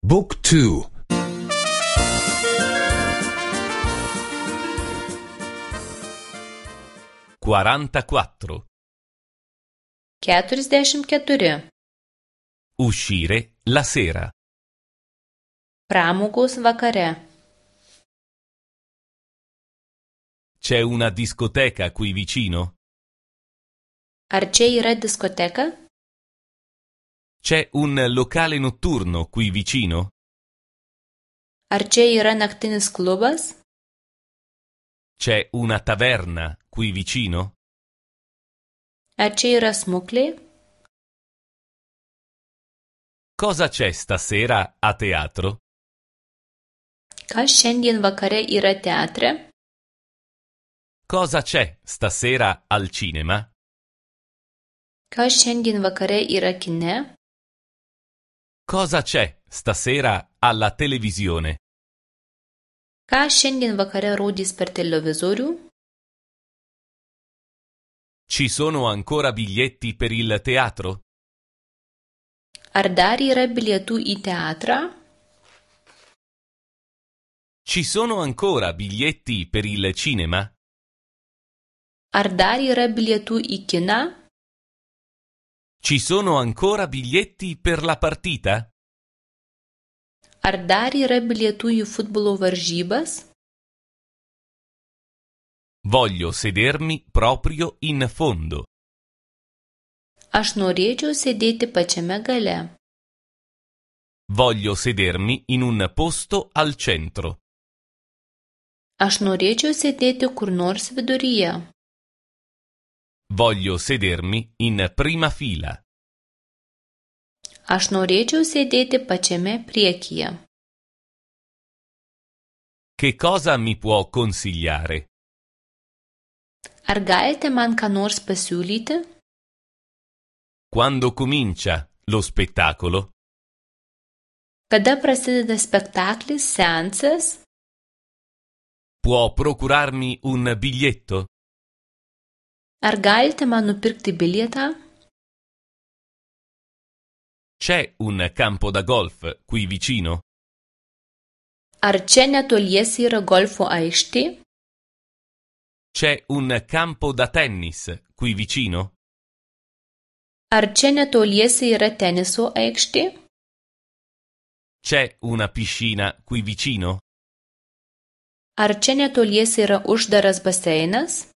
Book 2. 44. 44. Uscire la sera. Pramogos vakare. C'è una discoteca qui vicino? Ar čia yra diskoteka? C'è un locale notturno qui vicino? Ar čia yra naktinis klubas? C'è una taverna qui vicino? Ar čia yra smuklė? Cosa c'è stasera a teatro? Kas šiandien vakare yra teatre? Cosa c'è stasera al cinema? Kas šiandien vakare yra kine? Cosa c'è stasera alla televisione? Ką šiandien vakare rodys per televizorių? Ci sono ancora biglietti per il teatro? Ar dar yra bilietų į teatrą? Ci sono ancora biglietti per il cinema? Ar dar yra bilietų į kiną? Ci sono ancora biglietti per la partita? Ar dar yra bilietų į futbolo varžybas? Voglio sedermi proprio in fondo. Aš norėčiau sėdėti pačiame gale. Voglio sedermi in un posto al centro. Aš norėčiau sėdėti kur nors viduryje. Voglio sedermi in prima fila. Aš norėčiau sėdėti pačiame priekyje. Che cosa mi può consigliare? Ar galite man ką nors pasiūlyti? Quando comincia lo spettacolo? Kada prasideda spektaklis, seansas? Può procurarmi un biglietto? Ar galite man nupirkti bilietą? C'è un campo da golf qui vicino? Ar čia netoliese yra golfo aikštė? C'è un campo da tennis qui vicino? Ar čia netoliese yra teniso aikštė? C'è una piscina qui vicino? Ar čia netoliese yra uždaras baseinas?